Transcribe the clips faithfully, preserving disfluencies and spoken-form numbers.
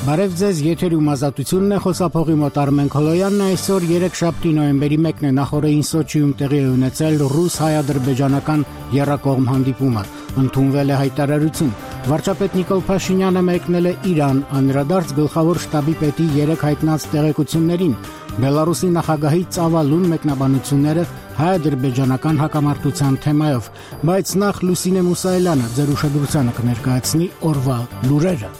Բարև ձեզ, եթերում ազատությունն է, խոսափողի մոտ Արմեն Քոլոյանն է, այսօր երեքշաբթի նոյեմբերի մեկն է, նախորդին Սոչիում տեղի է ունեցել ռուս-հայ-ադրբեջանական եռակողմ հանդիպումը, ընդունվել է հայտարարություն, վարչապետ Նիկոլ Փաշինյանը մեկնել է Իրան, անդրադարձ գլխավոր շտաբի պետի երեք հայտնած տեղեկություններին, Բելարուսի նախագահի ծավալուն մեկնաբանությունները հայ-ադրբեջանական հակամարտության թեմայով, բայց նախ Լուսինե Մուսայելյանը ձեր ուշադրությանը կներկայացնի օրվա լուրերը։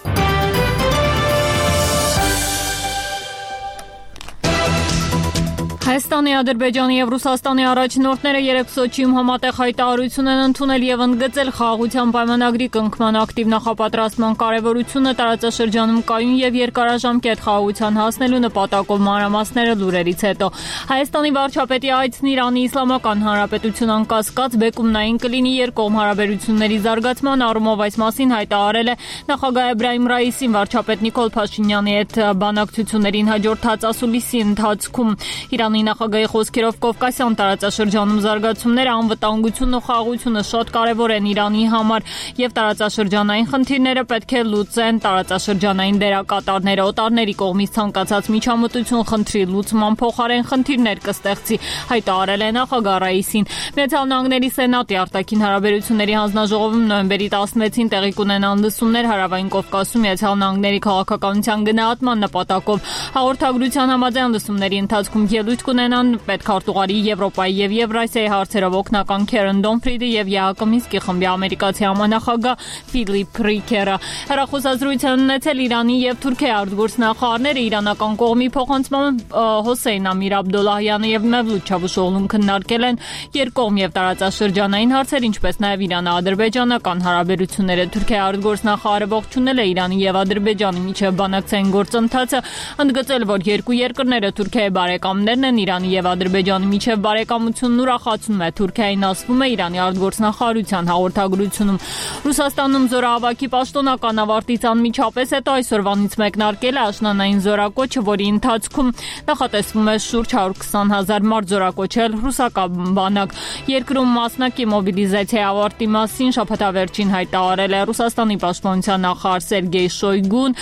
Հայաստանի, Ադրբեջանի և Ռուսաստանի առաջնորդները երեկ Սոչիում համատեղ հայտարարություն են ընդունել և ընդգծել խաղաղության պայմանագրի կնքման ակտիվ նախապատրաստման կարևորությունը տարածաշրջանում կայուն և երկարաժամկետ խաղաղության հասնելու նպատակով մանրամասները լուրերից հետո։ Հայաստանի վարչապետի այցն Իրանի Իսլամական Հանրապետություն անկասկած բեկումնային կլինի երկկողմ հարաբերությունների զարգացման առումով, այս մասին հայտարարել է նախագահ Էբրահիմ Ռայիսին վարչապետ Նիկոլ Փաշինյանի հետ բանակցություններին հաջորդած ասուլիսի ընթացքում։ Իրանի նախագահի խոսքերով Կովկասյան տարածաշրջանում զարգացումները, անվտանգությունն ու խաղաղությունը շատ կարևոր են Իրանի համար և տարածաշրջանային խնդիրները պետք է լուծեն տարածաշրջանային դերակատարները, օտարների կողմից ցանկացած միջամտություն խնդրի լուծման փոխարեն խնդիրներ կստեղծի, հայտարարել է նախագահ Ռայիսին։ Միացյալ Նահանգների Սենատի արտաքին հարաբերությունների հանձնաժողովում նոյեմբերի տասնվեցին տեղի կունենան լսումներ Հարավային Կովկասում Միացյալ Նահանգների քաղաքականության գնահատման նպատակով։ Հաղորդագրության համաձայն լսումների ընթացքում ելույթ կունենան պետքարտուղարի Եվրոպայի և Եվրասիայի հարցերով օգնական Քերեն Դոմֆրիդը և ԵԱՀԿ Մինսկի խմբի ամերիկացի համանախագահ Ֆիլիպ Ռիկերը։ Հեռախոսազրույց են ունեցել Իրանի և Թուրքիայի արտգործնախարարները, իրանական կողմի փոխանցմամբ Հոսեյն Ամիր Աբդոլլահյանը և Մևլութ Չավուշօղլուն քննարկել են երկկողմ և տարածաշրջանային հարցեր, ինչպես նաև Իրано-ադրբեջանական հարաբերությունները։ Թուրքիայի արտգործնախարարը ողջունել է Իրանի և Ադրբեջանի միջև բանակցային գործընթացը, ընդգծել, որ երկու երկրները Թուրքիայի բարեկամներն են, Իրանի և Ադրբեջանի միջև բարեկամությունն ուրախացնում է Թուրքիային, ասվում է Իրանի արտգործնախարարության հաղորդագրությունում։ Ռուսաստանում զորահավաքի պաշտոնական ավարտից անմիջապես հետո այսօրվանից մեկնարկել է աշնանային զորակոչը, որի ընթացքում նախատեսվում է շուրջ հարյուր քսան հազար մարդ զորակոչել ռուսական բանակ։ Երկրում մասնակի մոբիլիզացիայի ավարտի մասին շաբաթավերջին հայտարարել է Ռուսաստանի պաշտպանության նախարար Սերգեյ Շոյգուն,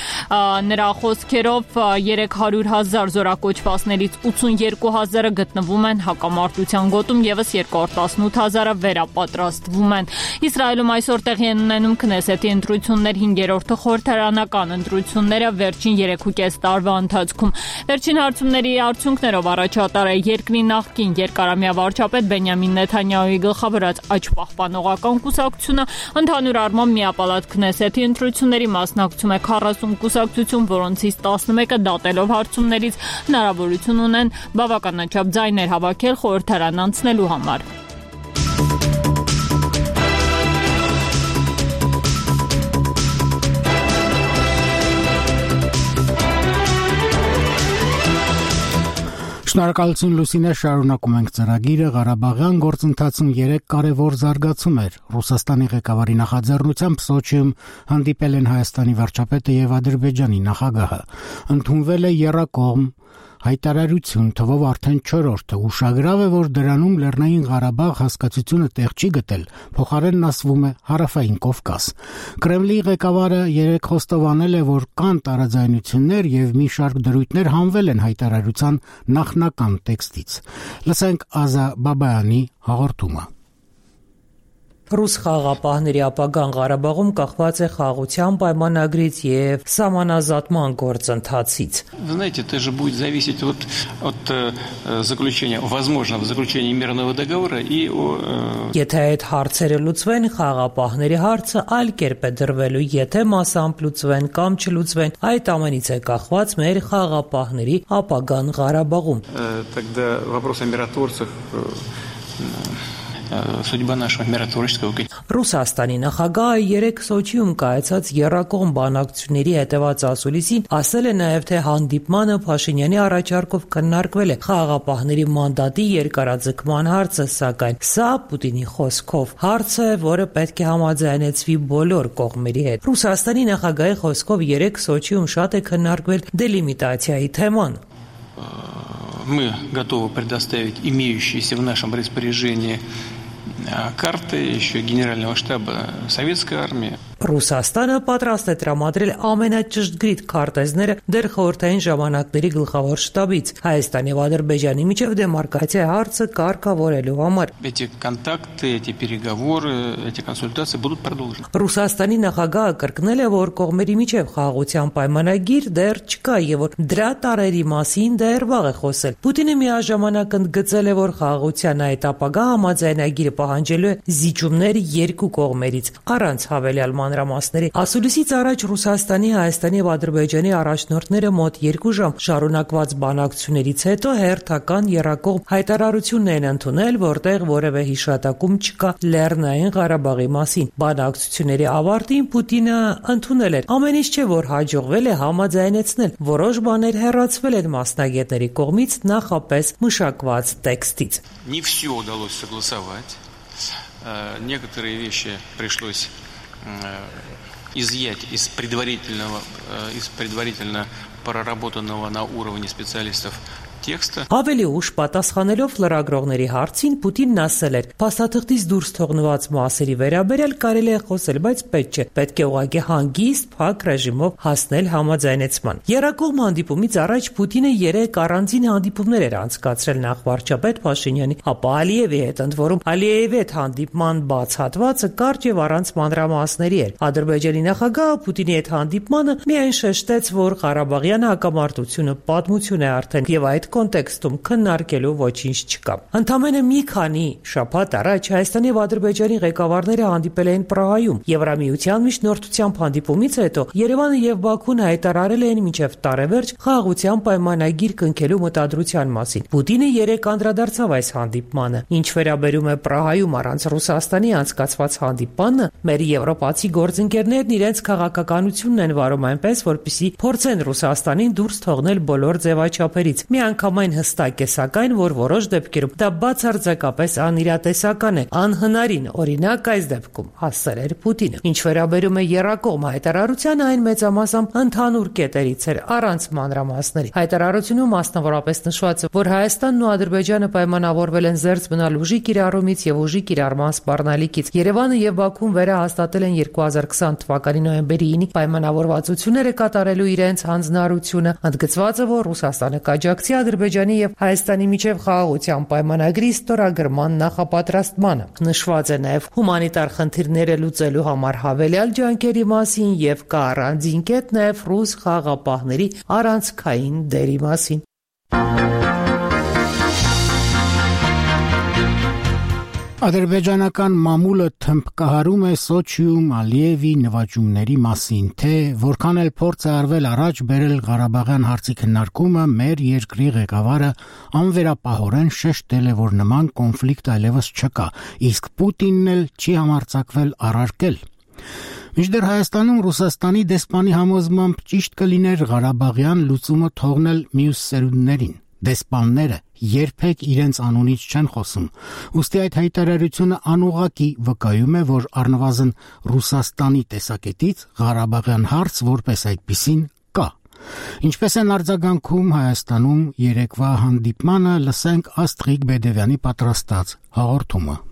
նրա խոսքերով երեք հարյուր հազար զորակոչվածներից ութսունյոթ հազարը գտնվում են հակամարտության գոտում, ևս երկու հարյուր տասնութ հազարը վերապատրաստվում են։ Իսրայելում այսօր տեղի են ունենում Քնեսեթի ընտրություններ, հինգերորդը խորհրդարանական ընտրությունները վերջին երեքուկես տարվա ընթացքում։ Վերջին հարցումների արդյունքներով առաջատար է երկրի նախկին երկարամյա վարչապետ Բենյամին Նեթանյահուի գլխավորած Աճ-պահպանողական կուսակցությունը, ընդհանուր առմամբ միապալատ Քնեսեթի ընտրությունների մասնակցում է քառասուն կուսակցություն, որոնցից տասնմեկը դատելով հարցումներից հնարավորություն ունեն բավականաչափ ձայներ հավաքել խորհրդարան անցնելու համար։ Շնորհակալություն Լուսինե, շարունակում ենք ծրագիրը։ Ղարաբաղյան գործընթացում երեք կարևոր զարգացում էր։ Ռուսաստանի ղեկավարի նախաձեռնությամբ Սոչիում հանդիպել են Հայաստանի վարչապետը և Ադրբեջանի նախագահը։ Ընդունվել է եռակողմ հայտարարություն, թվով արդեն չորրորդը, ուշագրավ է, որ դրանում Լեռնային Ղարաբաղ հասկացությունը տեղ չի գտել, փոխարենն ասվում է Հարավային Կովկաս։ Կրեմլի ղեկավարը երեկ խոստովանել է, որ կան տարաձայնություններ և մի շարք դրույթներ հանվել են հայտարարության նախնական տեքստից։ Լսենք Ազա Բաբայանի հաղորդումը։ Ռուս խաղաղապահների ապագան Ղարաբաղում կախված է խաղաղության պայմանագրից և սահմանազատման գործընթացից։ Вы знаете, это же будет зависеть от от заключения, возможного заключения мирного договора и Եթե այդ հարցերը լուծվեն, խաղաղապահների հարցը այլ կերպ է դրվելու, եթե մասամբ լուծվեն կամ չլուծվեն, այդ ամենից է կախված մեր խաղաղապահների ապագան Ղարաբաղում։ Тогда вопрос о миротворцах судьба нашего миротворческого. Ռուսաստանի նախագահը երեկ Սոչիում կայացած եռակողմ բանակցությունների հետևած ասուլիսին ասել է նաև, թե հանդիպմանը Փաշինյանի առաջարկով քննարկվել է խաղաղապահների մանդատի երկարաձգման հարցը, սակայն սա Պուտինի խոսքով հարց է, որը պետք է համաձայնեցվի բոլոր կողմերի հետ։ Ռուսաստանի նախագահի խոսքով երեկ Սոչիում շատ է քննարկվել դելիմիտացիայի թեման։ Мы готовы предоставить имеющиеся в нашем распоряжении карты еще Генерального штаба Советской армии. Ռուսաստանը պատրաստ է տրամադրել ամենաճշգրիտ քարտեզները դեռ խորհրդային ժամանակների գլխավոր շտաբից Հայաստանի եւ Ադրբեջանի միջև դեմարկացիա հարցը կարգավորելու համար։ Эти контакты, эти переговоры, эти консультации будут продолжены. Ռուսաստանի նախագահը կրկնել է, որ կողմերի միջև խաղաղության պայմանագիր դեռ չկա եւ որ դրա տարերի մասին դեռ վաղ է խոսել։ Պուտինը միաժամանակ ընդգծել է, որ խաղաղության այդ ապագա համաձայնագիրը պահանջելու է զիջումներ երկու կողմերից առանց հավելյալ մանրամասների։ Ասուլիսից առաջ Ռուսաստանի, Հայաստանի եւ Ադրբեջանի առաջնորդները մոտ երկու ժամ շարունակված բանակցություններից հետո հերթական եռակողմ հայտարարությունն են ընդունել, որտեղ որևէ հիշատակում չկա Լեռնային Ղարաբաղի մասին։ Բանակցությունների ավարտին Պուտինը ընդունել է. ամեն ինչ չէ, որ հաջողվել է համաձայնեցնել, որոշ բաներ հեռացվել են մասնագետների կողմից նախապես մշակված տեքստից։ Не все удалось согласовать. Некоторые вещи пришлось изъять из предварительного, из предварительно проработанного на уровне специалистов տեքստը։ Ավելի ուշ պատասխանելով լրագրողների հարցին Պուտինն ասել էր. «Փաստաթղթից դուրս թողնված մասերի վերաբերյալ կարելի է խոսել, բայց պետք չէ։ Պետք է ուղղակի հանգիստ, փակ ռեժիմով հասնել համաձայնեցման»։ Եռակողմ հանդիպումից առաջ Պուտինը երեք առանձին հանդիպումներ էր անցկացրել նախ վարչապետ Փաշինյանի, ապա Ալիևի հետ, ընդ որում Ալիևի հետ հանդիպման բաց հատվածը կարճ եւ առանց մանրամասների էր։ Ադրբեջանի նախագահը Պուտինի հետ հանդիպմանը միայն շեշտեց, որ Ղարաբաղյան հակամարտությունը պատմություն է արդեն եւ այդ կոնտեքստում քննարկելու ոչինչ չկա։ Ընդամենը մի քանի շաբաթ առաջ Հայաստանի եւ Ադրբեջանի ղեկավարները հանդիպել էին Պրահայում։ Եվրամիության միջնորդությամբ հանդիպումից հետո Երևանը եւ Բաքուն հայտարարել էին մինչեւ տարեվերջ խաղաղության պայմանագիր կնքելու մտադրության մասին։ Պուտինը երեք անդրադարձավ այս հանդիպմանը։ Ինչ վերաբերում է Պրահայում առանց Ռուսաստանի անցկացված հանդիպանը, մեր եվրոպացի գործընկերներն իրենց քաղաքականությունն են վարում այնպես, որպեսզի փորձեն Ռուսաստանին դուրս թողնել բոլոր ձևաչափերից։ Մի անգամայն հստակ է, սակայն, որ որոշ դեպքերում դա բացարձակապես անիրատեսական է, անհնարին, օրինակ այս դեպքում, ասել էր Պուտինը։ Ինչ վերաբերում է եռակողմ հայտարարությանը, այն մեծամասամբ ընդհանուր կետերից էր, առանց մանրամասների։ Հայտարարությունում մասնավորապես նշված է, որ Հայաստանն ու Ադրբեջանը պայմանավորվել են զերծ մնալ ուժի կիրառումից եւ ուժի կիրառման սպառնալիքից։ Երևանը եւ Բաքուն վերահաստատել են երկու հազար քսան թվականի նոյեմբերի ինը պայմանավորվածությունները կատարելու իրենց հանձնարարությունը։ Ընդգծված է, որ Ռուսաստանը կաջակցի Ադրբեջանի եւ Հայաստանի միջև խաղաղության պայմանագրի ստորագրման նախապատրաստմանը։ Նշված է նաեւ հումանիտար խնդիրները լուծելու համար հավելյալ ջանքերի մասին եւ կա առանձին կետ նաեւ ռուս խաղաղապահների առանցքային դերի մասին։ Ադրբեջանական մամուլը թմբկահարում է Սոչիում Ալիևի նվաճումների մասին, թե որքան էլ փորձ է արվել առաջ բերել Ղարաբաղյան հարցի քննարկումը, մեր երկրի ղեկավարը անվերապահորեն շեշտել է, որ նման կոնֆլիկտ այլևս չկա, իսկ Պուտինն էլ չի համարձակվել առարկել։ Մինչդեռ Հայաստանում Ռուսաստանի դեսպանի համոզմամբ ճիշտ կլիներ Ղարաբաղյան լուծումը թողնել մյուս սերունդներին։ Դեսպանները երբեք իրենց անունից չեն խոսում, ուստի այդ հայտարարությունը անուղղակի վկայում է, որ առնվազն Ռուսաստանի տեսակետից Ղարաբաղյան հարց որպես այդպիսին կա։ Ինչպես են արձագանքում Հայաստանում երեկվա հանդիպմանը, լսենք Աստղիկ Բեդևյանի պատրաստած հաղորդումը։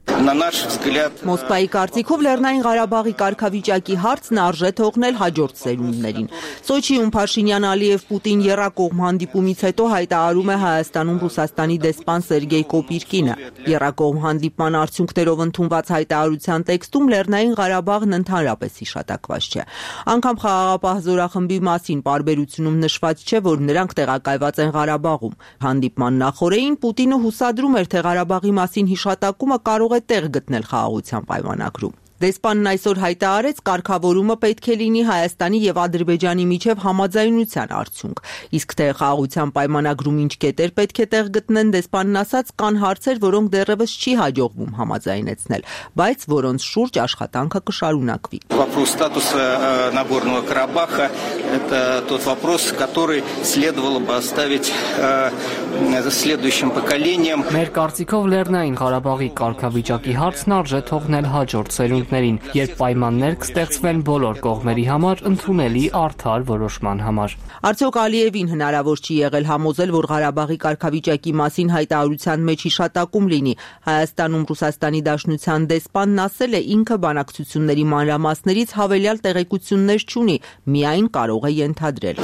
Մոսկվայի կարծիքով Լեռնային Ղարաբաղի կարգավիճակի հարցն արժե թողնել հաջորդ սերունդներին։ Սոչիում Փաշինյան-Ալիև-Պուտին եռակողմ հանդիպումից հետո հայտարարում է Հայաստանում Ռուսաստանի դեսպան Սերգեյ Կոպիրկինը։ Եռակողմ հանդիպման արդյունքներով ընդունված հայտարարության տեքստում Լեռնային Ղարաբաղն ընդհանրապես հիշատակված չէ։ Անգամ խաղաղապահ զորախմբի մասին պարբերությունում նշված չէ, որ նրանք տեղակայված են Ղարաբաղում։ Հանդիպման նախօրեին Պուտինը հուսադրում էր, թե Ղարաբաղի մասին հիշատակումը կարող է տեղ գտնել խաղաղության պայմանագրում։ Դեսպանն այսօր հայտարարեց, կարգավորումը պետք է լինի Հայաստանի եւ Ադրբեջանի միջև համաձայնության արդյունք։ Իսկ թե խաղաղության պայմանագրում ինչ կետեր պետք է տեղ գտնեն, դեսպանն ասաց, կան հարցեր, որոնք դեռևս չի հաջողվում համաձայնեցնել, բայց որոնց շուրջ աշխատանքը կշարունակվի։ Вопрос статуса Нагорного Карабаха – это тот вопрос, который следовало бы оставить следующим поколениям. Մեր կարծիքով Լեռնային Ղարաբաղի կարգավիճակի հարցն արժե թողնել հաջորդ սերունդներին, երբ պայմաններ կստեղծվեն բոլոր կողմերի համար ընդունելի արդար որոշման համար։ Արդյոք Ալիևին հնարավոր չի եղել համոզել, որ Ղարաբաղի կարգավիճակի մասին հայտարարության մեջ հիշատակում լինի։ Հայաստանում Ռուսաստանի Դաշնության դեսպանն ասել է, ինքը բանակցությունների մանրամասներից հավելյալ տեղեկություններ չունի, միայն կարող է ենթադրել։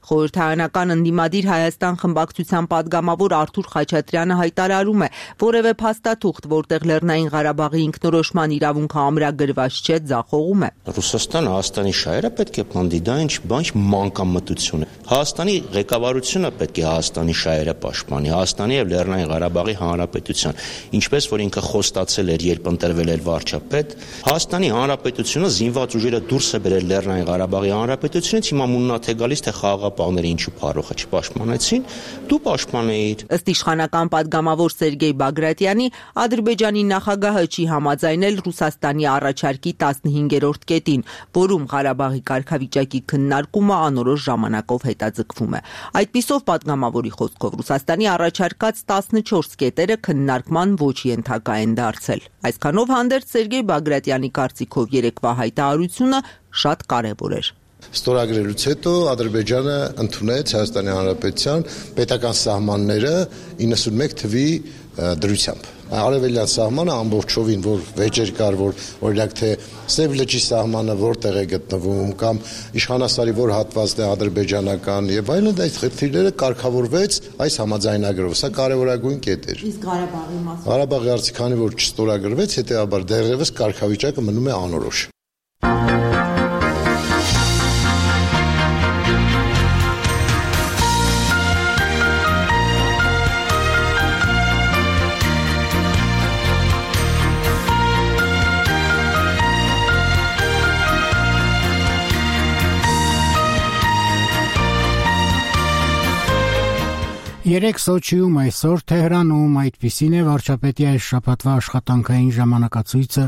Խորհրդարանական ընդդիմադիր Հայաստան խմբակցության падգամավոր Արթուր Խաչատրյանը հայտարարում է, որևէ փաստաթուղթ, որտեղ Լեռնային Ղարաբաղի ինքնորոշման իրավունքը ամրագրված չէ, ձախողում է։ Ռուսաստանը Հայաստանի շահերը պետք է պնդի, ինչ բան մանկամտություն է։ Հայաստանի ղեկավարությունը պետք է Հայաստանի շահերը պաշտպանի, Հայաստանի եւ Լեռնային Ղարաբաղի Հանրապետության, ինչպես որ ինքը խոստացել էր, երբ ընտրվել էր վարչապետ, Հայաստանի Հանրապետությունը զինված ուժերը դուրս է բերել Լեռնային Ղարաբաղի Հանրապետությունից, հիմա մուննաթ է գալիս, թե խաղաղապահները ինչու փառոխը չպաշտպանեցին, դու պաշտպանեիր։ Ըստ իշխանական падգամավոր Սերգեյ Բագրատյանի, Ադրբեջանի նախագահը չի համաձայնել Ռուսաստանի առաջարկի տասնհինգերորդ կետին, որում Ղարաբաղի կարգավիճակի քննարկումը անորոշ ժամանակով հետաձգվում է։ Այդպիսով падգամավորի խոսքով Ռուսաստանի առաջարկած տասնչորս կետերը քննարկման ոչ ենթակա են դարձել։ Այսքանով հանդերձ Սերգեյ Բագրատյանի կարծիքով երեկվա հայտարարությունը շատ կարևոր էր։ Ստորագրելուց հետո Ադրբեջանը ընդունեց Հայաստանի Հանրապետության պետական սահմանները իննսունմեկ թվի դրությամբ։ Արևելյան սահմանը ամբողջովին, որ վեճեր կար, որ օրինակ թե Սև լճի սահմանը որտեղ է գտնվում կամ իշխանասարի որ հատվածն է ադրբեջանական եւ այլն, այդ խնդիրները կարգավորվեց այս համաձայնագրով։ Սա կարևորագույն կետ էր։ Իսկ Ղարաբաղի մասը։ Ղարաբաղի հարցի քանի որ չստորագրվեց, հետեւաբար դեռևս կարգավիճակը մնում է անորոշ։ Երեք Սոչիում, այսօր Թեհրանում, այդպիսին է վարչապետի այս շաբաթվա աշխատանքային ժամանակացույցը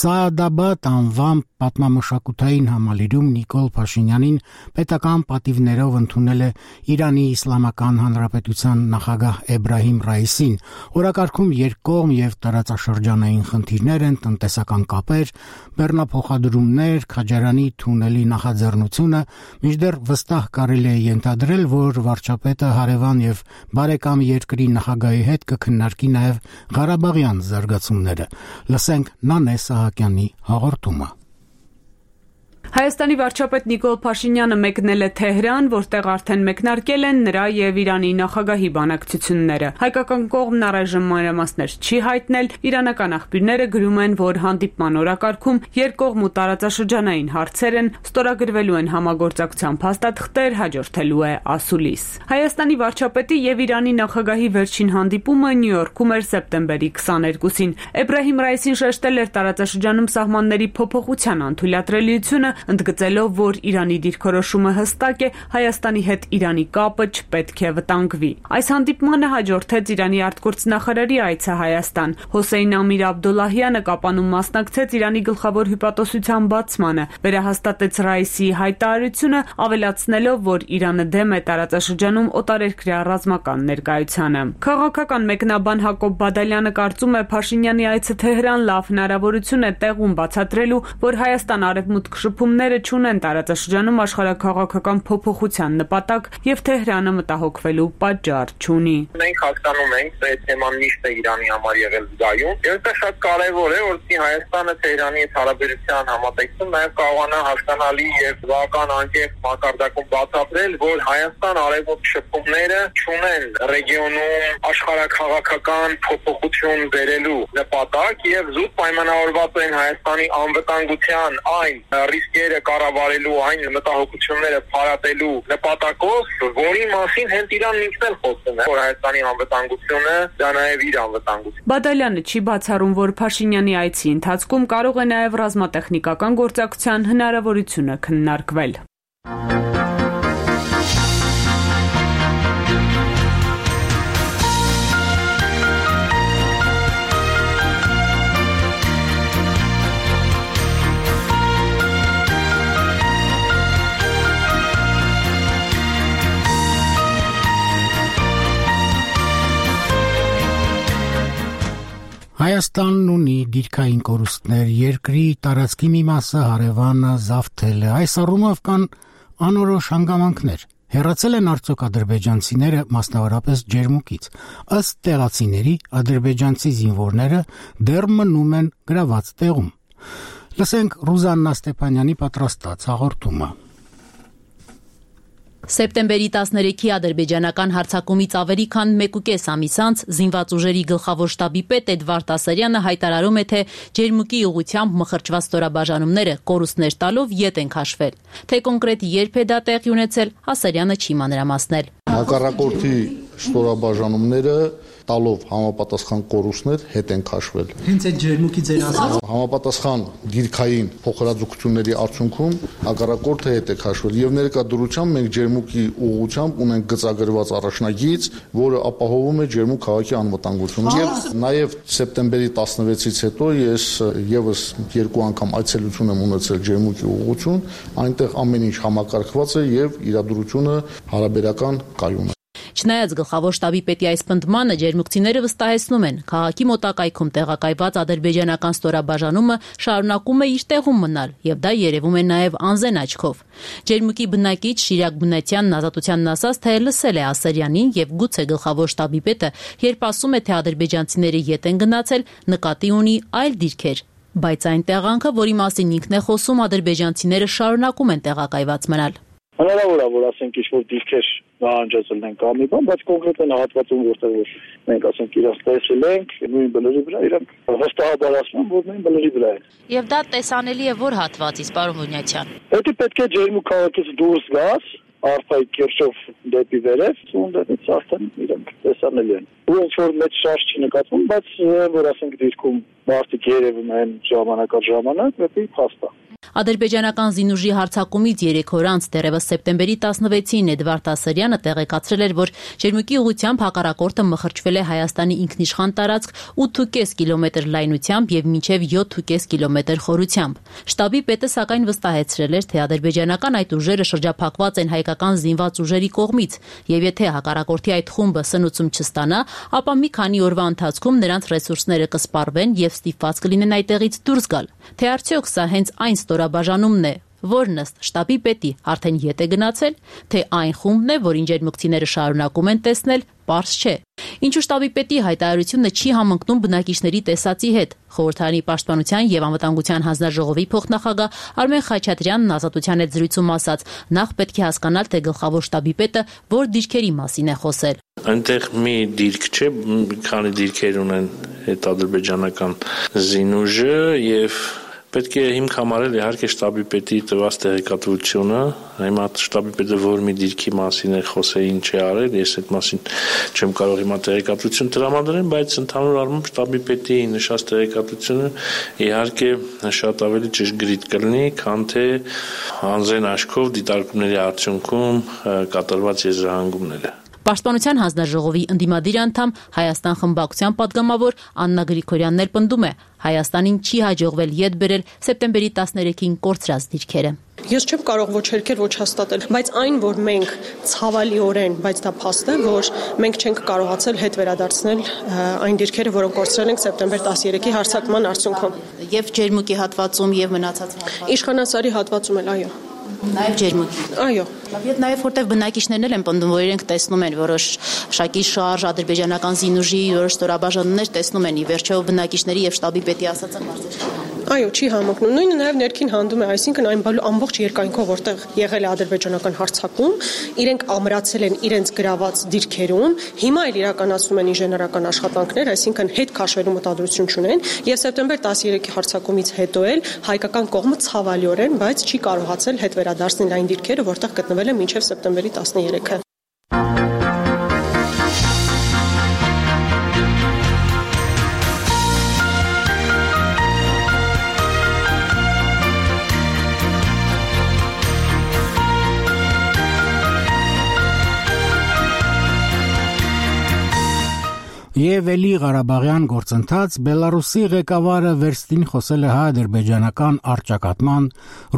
Սաադաբադ անվան պատմամշակութային համալիրում Նիկոլ Փաշինյանին պետական պատիվներով ընդունել է Իրանի Իսլամական Հանրապետության նախագահ Էբրահիմ Ռայիսին։ Օրակարգում երկկողմ եւ տարածաշրջանային խնդիրներ են, տնտեսական կապեր, բեռնափոխադրումներ, Քաջարանի թունելի նախաձեռնությունը, մինչդեռ վստահ կարելի է ենթադրել, որ վարչապետը հարևան եւ բարեկամ երկրի նախագահի հետ կքննարկի նաև Ղարաբաղյան զարգացումները։ Լսենք Նանե Սահակյանի հաղորդումը։ Հայաստանի վարչապետ Նիկոլ Փաշինյանը մեկնել է Թեհրան, որտեղ արդեն մեկնարկել են նրա եւ Իրանի նախագահի բանակցությունները։ Հայկական կողմն առայժմ մանրամասներ չի հայտնել, իրանական աղբյուրները գրում են, որ հանդիպման օրակարգում երկկողմ ու տարածաշրջանային հարցեր են, ստորագրվելու են համագործակցության փաստաթղթեր, հաջորդելու է ասուլիս։ Հայաստանի վարչապետի եւ Իրանի նախագահի վերջին հանդիպումը Նյու Յորքում էր սեպտեմբերի քսաներկուսին։ Էբրահիմ Ռայիսին շեշտել էր տարածաշրջանում սահմանների փոփոխության անթույլատրելիությունը, ընդգծելով, որ Իրանի դիրքորոշումը հստակ է, Հայաստանի հետ Իրանի կապը չպետք է վտանգվի։ Այս հանդիպմանը հաջորդեց Իրանի արտգործնախարարի այցը Հայաստան։ Հոսեյն Ամիր Աբդոլլահյանը Կապանում մասնակցեց Իրանի գլխավոր հյուպատոսության բացմանը, վերահաստատեց Ռայիսի հայտարարությունը, ավելացնելով, որ Իրանը դեմ է տարածաշրջանում օտարերկրյա ռազմական ներկայությանը։ Քաղաքական մեկնաբան Հակոբ Բադալյանը կարծում է, Փաշինյանի այցը Թեհրան լավ հնարավորություն է տեղում բացատրելու, որ Հայաստան արևմուտք շփումները չունեն տարածաշրջանում աշխարհաքաղաքական փոփոխության նպատակ եւ Թեհրանը մտահոգվելու պատճառ չունի։ Մենք հասկանում ենք, թե թեման միշտ է Իրանի համար եղել զգայուն, եւ դա շատ կարեւոր է, որովհետեւ Հայաստանը Թեհրանի հետ հարաբերության համատեքստում նաեւ կարողանա հասկանալի եւ բավական անկեղծ մակարդակում բացատրել, որ Հայաստան արևմուտք շփումները չունեն ռեգիոնում աշխարհաքաղաքական փոփոխություն բերելու նպատակ եւ զուտ պայմանավորված են Հայաստանի անվտանգության այն ռիսկերը կառավարելու, այն մտահոգությունները փարատելու նպատակով, որի մասին հենց Իրանն ինքն էլ խոսում է, որ Հայաստանի անվտանգությունը դա նաև իր անվտանգությունն է։ Բադալյանը չի բացառում, որ Փաշինյանի այցի ընթացքում կարող է նաև ռազմատեխնիկական գործակցության հնարավորությունը քննարկվել։ Հայաստանն ունի դիրքային կորուստներ, երկրի տարածքի մի մասը հարևանը զավթել է, այս առումով կան անորոշ հանգամանքներ։ Հեռացել են արդյոք ադրբեջանցիները մասնավորապես ջերմուկից։ Ըստ տեղացիների ադրբեջանցի զինվորները դեռ մնում են գրաված տեղում։ Լսենք Ռուզաննա Ստեփանյանի պատրաստած հաղորդումը։ Սեպտեմբերի տասներեքի ադրբեջանական հարձակումից ավելի քան մեկուկես ամիս անց զինված ուժերի գլխավոր շտաբի պետ Էդվարդ Ասարյանը հայտարարում է, թե ջերմուկի ուղղությամբ մխրճված ստորաբաժանումները կորուստներ տալով ետ են քաշվել։ Թե կոնկրետ երբ է դա տեղի ունեցել, Ասարյանը չի մանրամասնել։ Հակառակորդի ստորաբաժանումները տալով համապատասխան կորուստներ հետ են քաշվել։ Հենց այդ ջերմուկի ձեր ասած համապատասխան դիրքային փոխհրաձգությունների արդյունքում հակառակորդը հետ է քաշվել եւ ներկա դրությամբ մենք ջերմուկի ուղղությամբ ունենք գծագրված առաջնագիծ, որը ապահովում է ջերմուկ քաղաքի անվտանգությունը։ Եվ նաեւ սեպտեմբերի տասնվեցից հետո ես եւս երկու անգամ այցելություն եմ ունեցել ջերմուկի ուղղություն, այնտեղ ամեն ինչ համակարգված է եւ իրադրությունը հարաբերական կայուն է։ Չնայած գլխավոր շտաբի պետի այս պնդմանը ջերմուկցիները վստահեցնում են, քաղաքի մոտակայքում տեղակայված ադրբեջանական ստորաբաժանումը շարունակում է իր տեղում մնալ, եւ դա երևում է նաեւ անզեն աչքով։ Ջերմուկի բնակիչ Շիրակ Բնատյանն ազատությանն ասաց, թե լսել է Ասարյանին եւ գուցե գլխավոր շտաբի պետը, երբ ասում է, թե ադրբեջանցիները ետ են գնացել, նկատի ունի այլ դիրքեր։ Բայց այն տեղանքը, որի մասին ինքն է խոսում, ադրբեջանցիները շարունակում են տեղակայված մնալ։ Հնարավոր է, որ ասենք ինչ-որ դիրքեր նահանջացել են կամ մի բան, բայց կոնկրետ են հատվածում, որտեղ որ մենք ասենք իրենց տեսել ենք, նույն բլրի վրա իրանք վստահաբար ասում են, որ նույն բլրի վրա են։ Եվ դա տեսանելի է որ հատվածից, պարոն Բունյացյան։ Պետք պետք է ջերմուկ քաղաքից դուրս գաս, Արփայի կիրճով դեպի վերև, ունդից արդեն իրանք տեսանելի են։ Ու ինչ որ մեծ շարժ չի նկատվում, բայց որ ասենք դիրքում մարդիկ երևում են ժամանակ առ ժամանակ, դեպի փաստա։ Ադրբեջանական զինուժի հարձակումից երեք օր անց դեռևս սեպտեմբերի տասնվեցին Էդվարդ Ասարյանը տեղեկացրել էր, որ ջերմուկի ուղղությամբ հակառակորդը մխրճվել է Հայաստանի ինքնիշխան տարածք ութ ու կես կիլոմետր լայնությամբ եւ մինչեւ յոթ ու կես կիլոմետր խորությամբ։ Շտաբի պետը սակայն վստահեցրել էր, թե ադրբեջանական այդ ուժերը շրջափակված են հայկական զինված ուժերի կողմից, եւ եթե հակառակորդի այդ խումբը սնուցում չստանա, ապա մի քանի օրվա ընթացքում նրանց ռեսուրսները կսպառվեն եւ ստիպված կլինեն այդտեղից դուրս գալ։ Թե արդյոք սա հենց այն ստորաբաժանումն է, որն ըստ շտաբի պետի արդեն ետ է գնացել, թե այն խումբն է, որին ջերմուկցիները շարունակում են տեսնել, պարզ չէ։ Ինչու շտաբի պետի հայտարարությունը չի համընկնում բնակիչների տեսածի հետ։ Խորհրդարանի պաշտպանության եւ անվտանգության հանձնաժողովի փոխնախագահ Արմեն Խաչատրյանն ազատության հետ զրույցում ասաց, նախ պետք է հասկանալ, թե գլխավոր շտաբի պետը որ դիրքերի մասին է խոսել։ Այնտեղ մի դիրք չէ, քանի դիրքեր ունեն այդ ադրբեջանական զինուժը եւ պետք է հիմք համարել իհարկե շտաբի պետի տված տեղեկատվությունը, հիմա շտաբի պետը որ մի դիրքի մասին է խոսել, ինչ է արել, ես այդ մասին չեմ կարող հիմա տեղեկատվություն տրամադրել, բայց ընդհանուր առմամբ շտաբի պետի նշած տեղեկատվությունը իհարկե շատ ավելի ճշգրիտ կլինի, քան թե անզեն աչքով դիտարկումների արդյունքում կատարված եզրահանգումները։ Պաշտպանության հանձնաժողովի ընդդիմադիր անդամ Հայաստան խմբակցության падգամավոր Աննա Գրիգորյանն էլ պնդում է, Հայաստանին չի հաջողվել ետ բերել սեպտեմբերի տասներեքին կորցրած դիրքերը։ Ես չեմ կարող ոչ հերքել, ոչ հաստատել, բայց այն, որ մենք ցավալիորեն, բայց դա փաստ է, որ մենք չենք կարողացել հետ վերադարձնել այն դիրքերը, որոնք կորցրել ենք սեպտեմբեր տասներեքի հարձակման արդյունքում։ Եվ ջերմուկի հատվածում, եւ մնացած հատվածում։ Իշխանասարի հատվածում էլ, այո։ Նաև ջերմուկի։ Այո։ Եվ նաև որտեղ բնակիչներն էլ են պնդում, որ իրենք տեսնում են որոշ շակի շարժ, ադրբեջանական զինուժի որոշ ստորաբաժանումներ տեսնում են, ի վերջո բնակիչների եւ շտաբի պետի ասածը կարծես։ Այո, չի համընկնում։ Նույնը նաև ներքին հանդում է, այսինքն այն ամբողջ երկայնքով, որտեղ եղել է ադրբեջանական հարձակում, իրենք ամրացել են իրենց գրաված դիրքերում, հիմա էլ իրականացնում են ինժեներական աշխատանքներ, այսինքն հետ քաշվելու մտադրություն չունեն, եւ սեպտեմբեր տասներեքի հարձակումից հետո էլ հայկական կողմը ցավալիորեն, բայց չի կարողացել հետ վերադարձնել այն դիրքերը, որտեղ գտնվել են մինչև սեպտեմբերի տասներեքը։ Եվ էլի Ղարաբաղյան գործընթաց Բելարուսի ղեկավարը վերստին խոսել է հայ-ադրբեջանական առճակատման,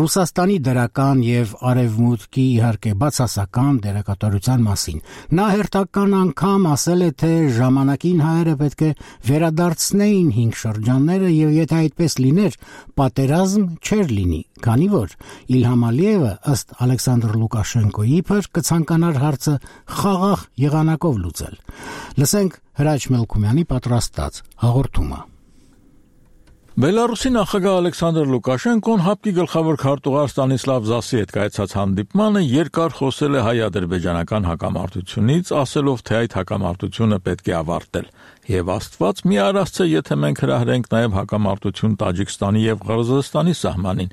Ռուսաստանի դրական եւ Արևմուտքի իհարկե բացասական դերակատարության մասին։ Նա հերթական անգամ ասել է, թե ժամանակին հայերը պետք է վերադարձնեին հինգ շրջանները եւ եթե այդպես լիներ, պատերազմ չէր լինի, քանի որ Իլհամ Ալիևը ըստ Ալեքսանդր Լուկաշենկոյի իբր կցանկանար հարցը խաղաղ եղանակով լուծել։ Լսենք Հրաչ Մելքումյանի պատրաստած հաղորդումը։ Բելարուսի նախագահ Ալեքսանդր Լուկաշենկոն ՀԱՊԿ-ի գլխավոր քարտուղար Ստանիսլավ Զասի հետ կայացած հանդիպմանը երկար խոսել է հայ-ադրբեջանական հակամարտությունից, ասելով, թե այդ հակամարտությունը պետք է ավարտել։ Եվ Աստված մի արասցե, եթե մենք հրահրենք նաև հակամարտություն Տաջիկստանի եւ Ղրղզստանի սահմանին,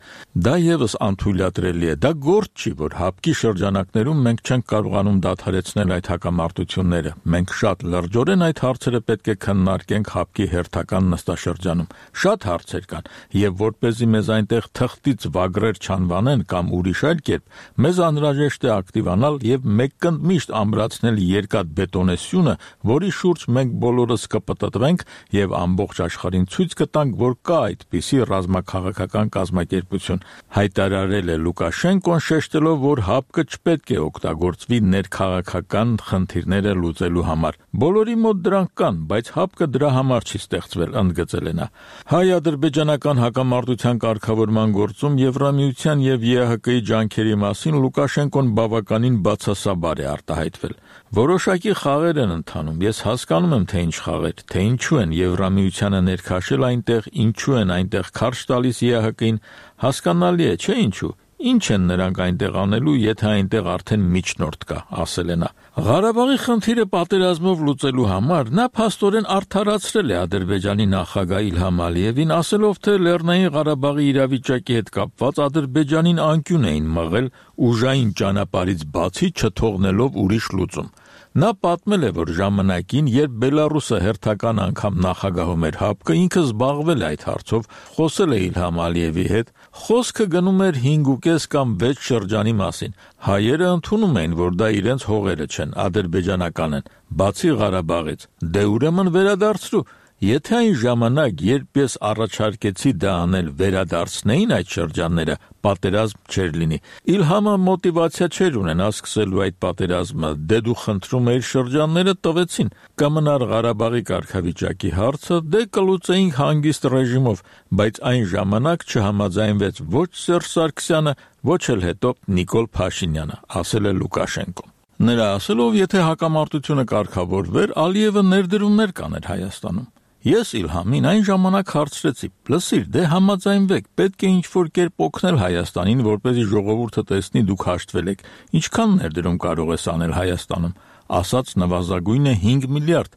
դա եւս անթույլատրելի է։ Դա գործ չի, որ ՀԱՊԿ-ի շրջանակներում մենք չենք կարողանում դադարեցնել այդ հակամարտությունները։ Մենք շատ լրջորեն այդ հարցերը պետք է քննարկենք ՀԱՊԿ-ի հերթական նստաշրջանում։ Շատ հարցեր կան, եւ որպեսզի մեզ այնտեղ թղթից վագրեր չանվանեն կամ ուրիշ այլ կերպ, մեզ անհրաժեշտ է ակտիվանալ եւ մեկկնդմիշտ ամրացնել երկաթ բետոնեսյունը, որի շուրջ մենք բոլորս կպտտվենք եւ ամբողջ աշխարհին ցույց կտանք, որ կա այդպիսի ռազմաքաղաքական կազմակերպություն, հայտարարել է Լուկաշենկոն, շեշտելով, որ ՀԱՊԿ-ը չպետք է օգտագործվի ներքաղաքական խնդիրները լուծելու համար։ Բոլորի մոտ դրանք կան, բայց ՀԱՊԿ-ը դրա համար չի ստեղծվել, ընդգծել է նա։ Հայ-ադրբեջանական հակամարտության կարգավորման գործում Եվրամիության եւ ԵԱՀԿ-ի ջանքերի մասին Լուկաշենկոն բավականին բացասաբար է արտահայտվել։ Որոշակի խաղեր են ընթանում։ Ես հասկանում եմ, թե ինչ խաղեր, թե ինչու են Եվրամիությանը ներքաշել այնտեղ, ինչու են այնտեղ քարշ տալիս ԵԱՀԿ-ին, հասկանալի է, չէ՞ ինչու։ Ինչ են նրանք այնտեղ անելու, եթե այնտեղ արդեն միջնորդ կա, ասել է նա։ Ղարաբաղի խնդիրը պատերազմով լուծելու համար նա փաստորեն արդարացրել է Ադրբեջանի նախագահ Իլհամ Ալիևին, ասելով, թե Լեռնային Ղարաբաղի իրավիճակի հետ կապված Ադրբեջանին անկյուն էին մղել ուժային ճանապարհից բացի չթողնելով ուրիշ լուծում։ Նա պատմել է, որ ժամանակին, երբ Բելարուսը հերթական անգամ նախագահում էր ՀԱՊԿ-ը, ինքը զբաղվել է այդ հարցով, խոսել է Իլհամ Ալիևի հետ, խոսքը գնում էր հինգ կամ վեց շրջանի մասին։ Հայերը ընդունում էին, որ դա իրենց հողերը չեն, ադրբեջանական են, բացի Ղարաբաղից։ Դե ուրեմն վերադարձրու։ Եթե այն ժամանակ, երբ ես առաջարկեցի դա անել, վերադարձնեին այդ շրջանները, պատերազմ չէր լինի։ Իլհամը մոտիվացիա չէր ունենա սկսելու այդ պատերազմը, դե դու խնդրում էիր շրջանները տվեցին, կմնար Ղարաբաղի կարգավիճակի հարցը, դե կլուծեինք հանգիստ ռեժիմով, բայց այն ժամանակ չհամաձայնվեց ոչ Սերժ Սարգսյանը, ոչ էլ հետո Նիկոլ Փաշինյանը, ասել է Լուկաշենկոն։ Նրա ասելով, եթե հակամարտությունը կարգավորվեր, Ալիևը ներդրումներ կաներ Հայաստանում։ Ես Իլհամին այն ժամանակ հարցրեցի. «Լսիր, դե համաձայնվեք, պետք է ինչ-որ կերպ օգնել Հայաստանին, որպեսզի ժողովուրդը տեսնի դուք հաշտվել եք։ Ինչքան ներդրում կարող ես անել Հայաստանում»։ Ասաց նվազագույնը հինգ միլիարդ,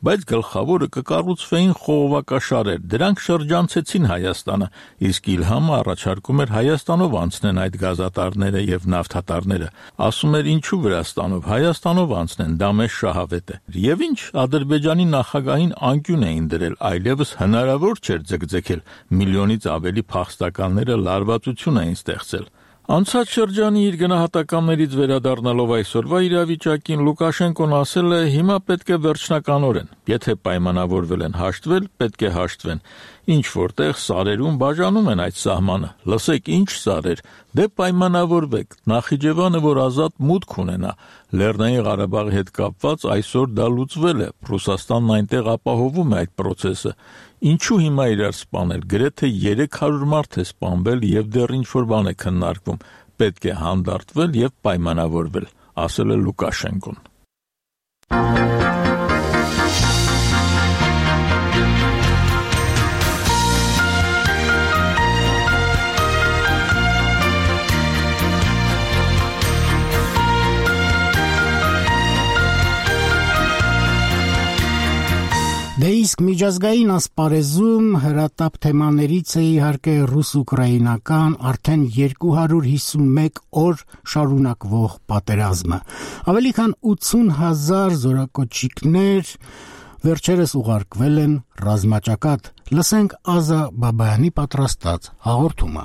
բայց գլխավորը կկառուցվեին խողովակաշարեր, դրանք շրջանցեցին Հայաստանը, իսկ Իլհամը առաջարկում էր Հայաստանով անցնեն այդ գազատարները եւ նավթատարները, ասում էր ինչու Վրաստանով, Հայաստանով անցնեն, դա մեզ շահավետ է։ Եվ ինչ, Ադրբեջանի նախագահին անկյուն էին դրել, այլևս հնարավոր չէր ձգձգել, միլիոնից ավելի փախստականները լարվածություն էին ստեղծել։ Անցած շրջանի իր գնահատականներից վերադառնալով այսօրվա իրավիճակին Լուկաշենկոն ասել է, հիմա պետք է վերջնականորեն, եթե պայմանավորվել են հաշտվել, պետք է հաշտվեն։ Ինչ որտեղ սարերում բաժանում են այդ սահմանը, լսեք ինչ սարեր, դե պայմանավորվեք, Նախիջևանը, որ ազատ մուտք ունենա, Լեռնային Ղարաբաղի հետ կապված այսօր դա լուծվել է, Ռուսաստանն այնտեղ ապահովում է այդ process-ը, ինչու հիմա իրար սպանել, գրեթե երեք հարյուր մարդ է սպանվել եւ դեռ ինչ-որ բան է քննարկվում, պետք է հանդարտվել եւ պայմանավորվել, ասել է Լուկաշենկոն։ Դե իսկ միջազգային ասպարեզում հրատապ թեմաներից է իհարկե ռուս-ուկրաինական արդեն երկու հարյուր հիսուն մեկ օր շարունակվող պատերազմը։ Ավելի քան ութսուն հազար զորակոչիկներ վերջերս ուղարկվել են ռազմաճակատ։ Լսենք Ազա Բաբայանի պատրաստած հաղորդումը։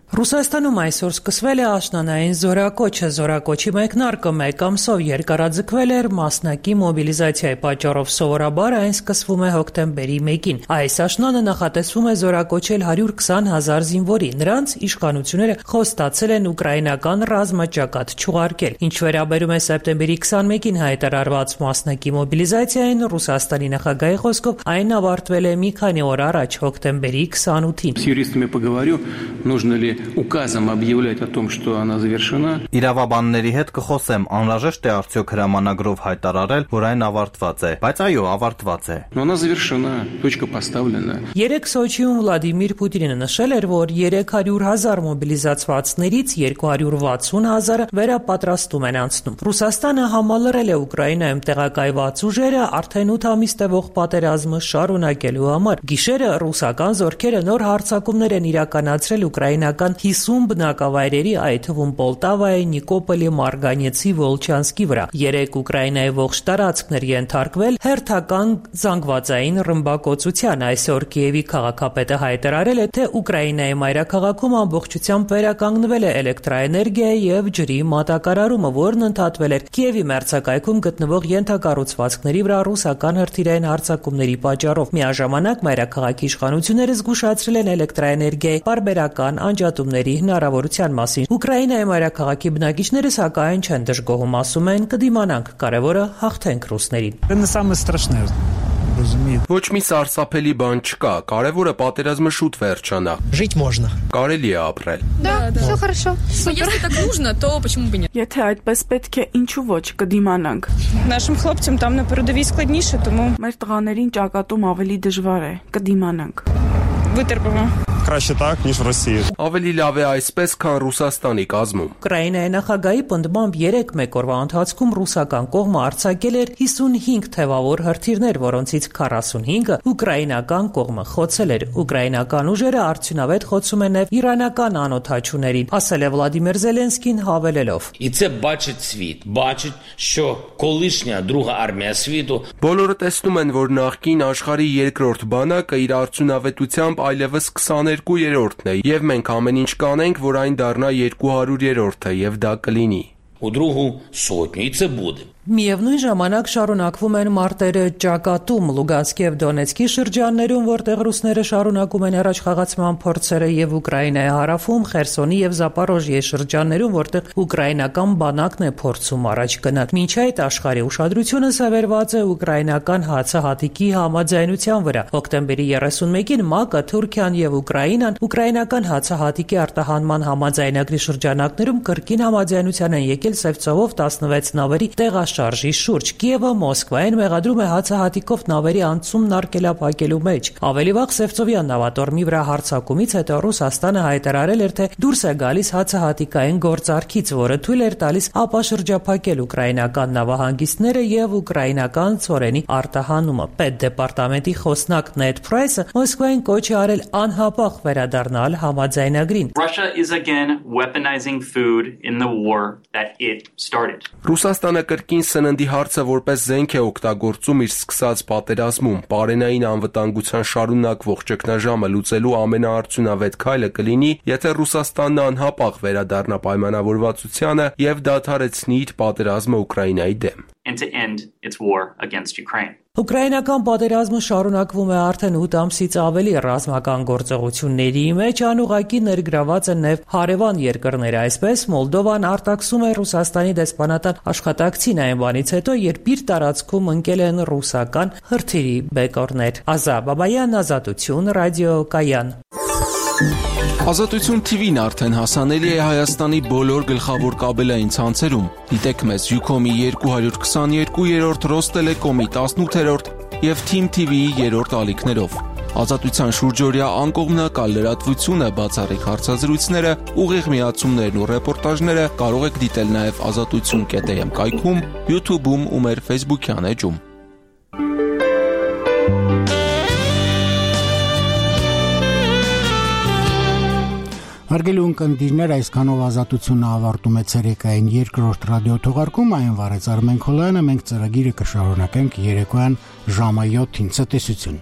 Ռուսաստանում այսօր սկսվել է աշնանային զորակոչը։ Զորակոչի մեկնարկը մեկ ամսով երկարաձգվել էր մասնակի մոբիլիզացիայի պատճառով։ Սովորաբար այն սկսվում է հոկտեմբերի մեկին։ Այս աշնանը նախատեսվում է զորակոչել հարյուր քսան հազար զինվորի։ Նրանց իշխանությունները խոստացել են ուկրաինական ռազմաճակատ չուղարկել։ Ինչ վերաբերում է սեպտեմբերի քսանմեկին հայտարարված մասնակի մոբիլիզացիային, Ռուսաստանի նախագահի խոսքով այն ավարտվել է մի քանի օր առաջ, հոկտեմբերի քսանութին։ С юристами поговорю, нужно ли указом объявлять о том, что она завершена. Իրավաբանների հետ կխոսեմ, անհրաժեշտ է արդյոք հրամանագրով հայտարարել, որ այն ավարտված է, բայց այո, ավարտված է։ Но она завершена, точка поставлена. Երեք Սոչիում Վլադիմիր Պուտինը նշել էր, որ երեք հարյուր հազար մոբիլիզացվածներից երկու հարյուր վաթսուն հազարը վերապատրաստում են անցնում։ Ռուսաստանը համալրել է Ուկրաինայում տեղակայված ուժերը արդեն ութ ամիս տևող պատերազմը շարունակելու համար։ Գիշերը ռուսական զորքերը նոր հարձակումներ են իրականացրել ուկրաինական հիսուն բնակավայրերի, այդ թվում Պոլտավայի, Նիկոպոլի, Մարգանեցի, Վոլչանսկի վրա։ Երեք Ուկրաինայի ողջ տարածքն էր ենթարկվել հերթական զանգվածային ռմբակոծության։ Այսօր Կիևի քաղաքապետը հայտարարել է, թե Ուկրաինայի մայրաքաղաքում ամբողջությամբ վերականգնվել է էլեկտրաէներգիայի եւ ջրի մատակարարումը, որն ընդհատվել էր Կիևի մերձակայքում գտնվող ենթակառուցվածքների վրա ռուսական հրթիռային հարձակումների պատճառով։ Միաժամանակ մայրաքաղաքի իշխանությունները զգուշացրել են էլեկտրաէներգիայի պարբերական անջատումների հնարավորության մասին։ Ուկրաինայի մայրաքաղաքի բնակիչները սակայն չեն դժգոհում, ասում են՝ կդիմանանք, կարևորը հաղթենք ռուսներին։ Ոչ մի սարսափելի բան չկա, կարևորը պատերազմը շուտ վերջանա։ Жить можно. Կարելի է ապրել։ Да, всё хорошо. Если так нужно, то почему бы нет? Եթե այդպես պետք է, ինչու ոչ, կդիմանանք։ Нашим хлопцам там на передовій складніше, тому Մեր տղաներին ճակատում ավելի դժվար է, կդիմանանք։ Вытерпимо. Краще так, ніж в Росії. Ավելի լավ է այսպես, քան Ռուսաստանի կազմում։ Ուկրաինայի նախագահի պնդմամբ երեք մեկ օրվա ընթացքում ռուսական կողմը արձակել էր հիսունհինգ թևավոր հրթիռներ, որոնցից քառասունհինգը ուկրաինական կողմը խոցել էր։ Ուկրաինական ուժերը արդյունավետ խոցում են նաև իրանական անօդաչուներին, ասել է Վլադիմիր Զելենսկին հավելելով. І це бачить світ, бачить, що колишня друга армія світу Բոլորը տեսնում են, որ նախկին աշխարհի երկրորդ բանակը իր արդյունավետությամբ այլևս քսաներկու-երրորդն է, եւ մենք ամեն ինչ կանենք, որ այն դառնա երկու հարյուրերորդը, եւ դա կլինի։ у другу сотню, і це буде. Միևնույն ժամանակ շարունակվում են մարտերը ճակատում Լուգանսկի եւ Դոնեցկի շրջաններում, որտեղ ռուսները շարունակում են առաջխաղացման փորձերը, եւ Ուկրաինայի հարավում, Խերսոնի եւ Զապորոժիեի շրջաններում, որտեղ ուկրաինական բանակն է փորձում առաջ գնալ։ Մինչ այդ աշխարհի ուշադրությունը սևեռված է ուկրաինական հացահատիկի համաձայնության վրա։ Հոկտեմբերի երեսունմեկին ՄԱԿ-ը, Թուրքիան եւ Ուկրաինան ուկրաինական հացահատիկի արտահանման համաձայնագրի շրջանակներում կրկին համաձայնության են եկել Սևծովով տասնվեց նավերի տեղաշարժի շուրջ։ Կիևը Մոսկվային մեղադրում է հացահատիկով նավերի անցումն արգելափակելու մեջ։ Ավելի վաղ Սևծովյան նավատորմի վրա հարձակումից հետո Ռուսաստանը հայտարարել էր, թե դուրս է գալիս հացահատիկային գործարքից, որը թույլ էր տալիս ապաշրջափակել ուկրաինական նավահանգիստները եւ ուկրաինական ծորենի արտահանումը։ Պետդեպարտամենտի խոսնակ Նեդ Պրայսը Մոսկվային կոչ է արել անհապաղ վերադառնալ համաձայնագրին։ Russia is again weaponizing food in the war that it started. Ռուսաստանը կրկին սննդի հարցը որպես զենք է օգտագործում իր սկսած պատերազմում։ Պարենային անվտանգության շարունակվող ճգնաժամը լուծելու ամենաարդյունավետ քայլը կլինի, եթե Ռուսաստանն անհապաղ վերադառնա պայմանավորվածությանը եւ դադարեցնի իր պատերազմը Ուկրաինայի դեմ։ And to end its war against Ukraine. Ուկրաինական պատերազմը շարունակվում է արդեն ութ ամսից ավելի ռազմական գործողությունների մեջ, անուղղակի ներգրաված են նաև հարևան երկրները, այսպես Մոլդովան արտաքսում է Ռուսաստանի դեսպանատան աշխատակցին այն բանից հետո, երբ իր տարածքում ընկել են ռուսական հրթիռի բեկորներ։ Ազա Բաբայան, Ազատություն, Ռադիո Կայան։ Ազատություն թիվին արդեն հասանելի է Հայաստանի բոլոր գլխավոր կաբելային ցանցերում։ Դիտեք մեզ Յուքոմի երկու հարյուր քսաներկու-րդ, Ռոստելեկոմի տասնութերորդ եւ Թիմ թի վիի երրորդ ալիքներով։ Ազատության շուրջօրյա անկողմնակալ լրատվությունը, բացառիկ հարցազրույցները, ուղիղ միացումներն ու ռեպորտաժները կարող եք դիտել նաեւ ազատություն կետ էմ կայքում, YouTube-ում ու մեր Facebook-յան էջում։ Հարգելի ունկնդիրներ, այսքանով ազատությունը ավարտում է ցերեկային երկրորդ ռադիոթողարկում, այն վարեց Արմեն Քոլյանը, մենք ծրագիրը կշարունակենք երեկոյան ժամը յոթին ցտեսություն։